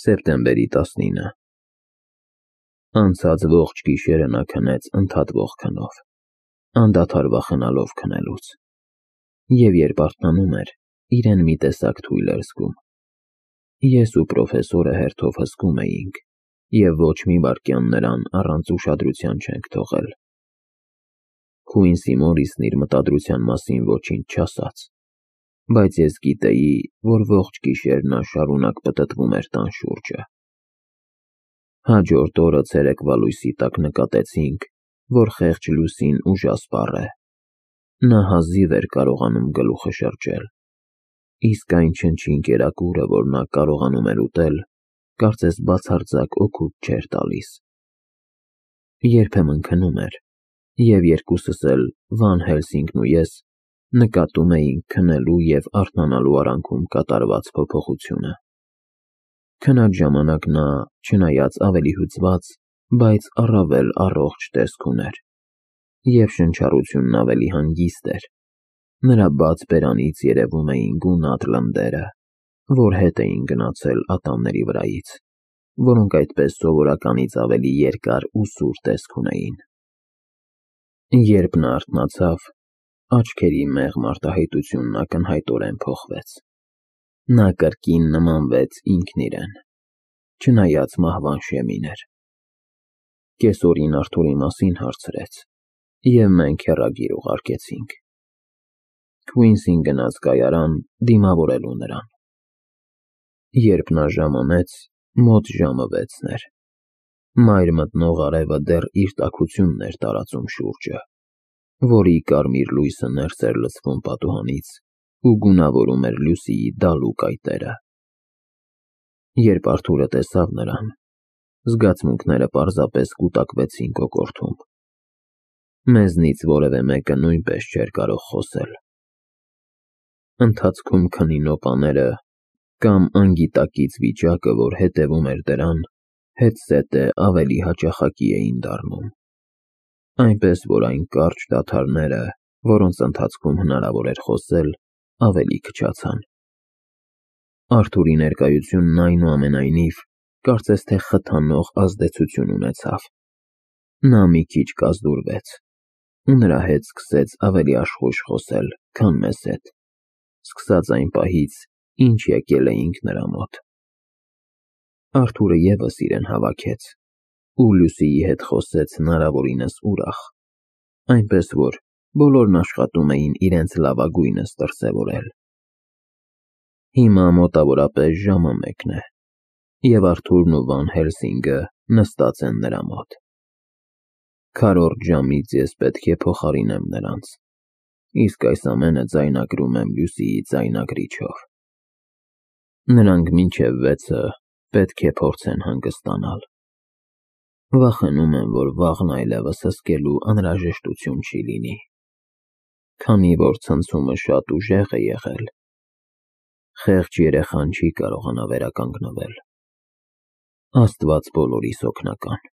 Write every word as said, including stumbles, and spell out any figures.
Սեպտեմբերի տասնինը Անցած ողջ գիշերը նա քնեց ընդհատվող քնով, անդադար վախենալով քնելուց, և երբ արթնանում էր, իրեն մի տեսակ թույլ էր զգում։ Ես ու պրոֆեսորը հերթով հսկում էինք և ոչ մի վայրկյան նրան առանց ուշադրության չենք թողել։ Քուինսի Մորիսն իր մտադրության մասին ոչինչ չասաց, բայց ես գիտեի, որ ողջ գիշեր նա շարունակ պտտվում էր տան շուրջը։ Հաջորդ օրը ցերեկվա լույսի տակ նկատեցինք, որ խեղճ լուսին ուժասպառ է։ Նա հազիվ էր կարողանում գլուխը շրջել, իսկ այն չնչին կերակուրը, որ նա կարողանում էր ուտել, կարծես բացարձակ օգուտ չէր տալիս։ Երբեմն քնում էր, և երկուսս էլ, Վան Հելսինգն ու ես, նկատում էինք քնելու և արթնանալու արանքում կատարված փոփոխությունը։ Քնած ժամանակ նա, չնայած ավելի հուզված, բայց առավել առողջ տեսք ուներ, և շնչառությունն ավելի հանգիստ էր։ Նրա բաց բերանից երևում էին գունատ լնդերը, որ հետ էին գնացել ատամների վրայից, որոնք այդպես սովորականից ավելի երկար ու սուր տեսք ունեին։ Երբ նա արթնացավ, աչքերի մեղմ արտահայտությունն ակնհայտորեն փոխվեց։ Նա կրկին նմանվեց ինքն իրեն, չնայած մահվան շեմին էր։ Կեսօրին Արթուրի մասին հարցրեց, և մենք հեռագիր ուղարկեցինք։ Քուինսին գնաց կայարան դիմավորելու նրան։ Երբ նա ժամանեց, մոտ ժամը վեցն էր։ Մայր մտնող արևը դեռ իր տաքությունն էր տարածում շուրջը, որի կարմիր լույսը ներս էր լցվում պատուհանից ու գունավորում էր Լուսիի դալու կայտերը։ Երբ Արթուրը տեսավ նրան, զգացմունքները պարզապես կուտակվեցին կոկորդում։ Մեզնից որևէ մեկը նույնպես չէր կարող խոսել։ Ընթացքում քնի նոպաները կամ անգիտակից վիճակը, որ հետևում էր դրան, հետզհետե ավելի հաճախակի էին դառնում, այնպես որ այն կարճ դադարները, որոնց ընթացքում հնարավոր էր խոսել, ավելի քչացան։ Արթուրի ներկայությունն այնուամենայնիվ կարծես թե խթանող ազդեցություն ունեցավ։ Նա մի քիչ կազդուրվեց, ու նրա հետ սկսեց ավելի աշխույժ խոսել, քան մեզ հետ, սկսած այն պահից, ինչ եկել էինք նրա մոտ։ Արթուրը ևս իրեն հավաքեց ու Լուսիի հետ խոսեց հնարավորինս ուրախ, այնպես որ բոլորն աշխատում էին իրենց լավագույնս դրսևորել։ Հիմա մոտավորապես ժամը մեկն է, և Արթուրն ու Վան Հելսինգը նստած են նրա մոտ։ Քառորդ ժամից ես պետք է փոխարինեմ նրանց, իսկ այս ամենը ձայնագրում եմ Լուսիի ձայնագրիչով։ Նրանք մինչև վեցը պետք է փորձեն հանգստանալ։ Վախենում եմ, որ վաղն այլևս հսկելու անհրաժեշտություն չի լինի, քանի որ ցնցումը շատ ուժեղ է եղել։ Խեղճ երեխան չի կարողանա վերականգնվել։ Աստված բոլորիս օգնական։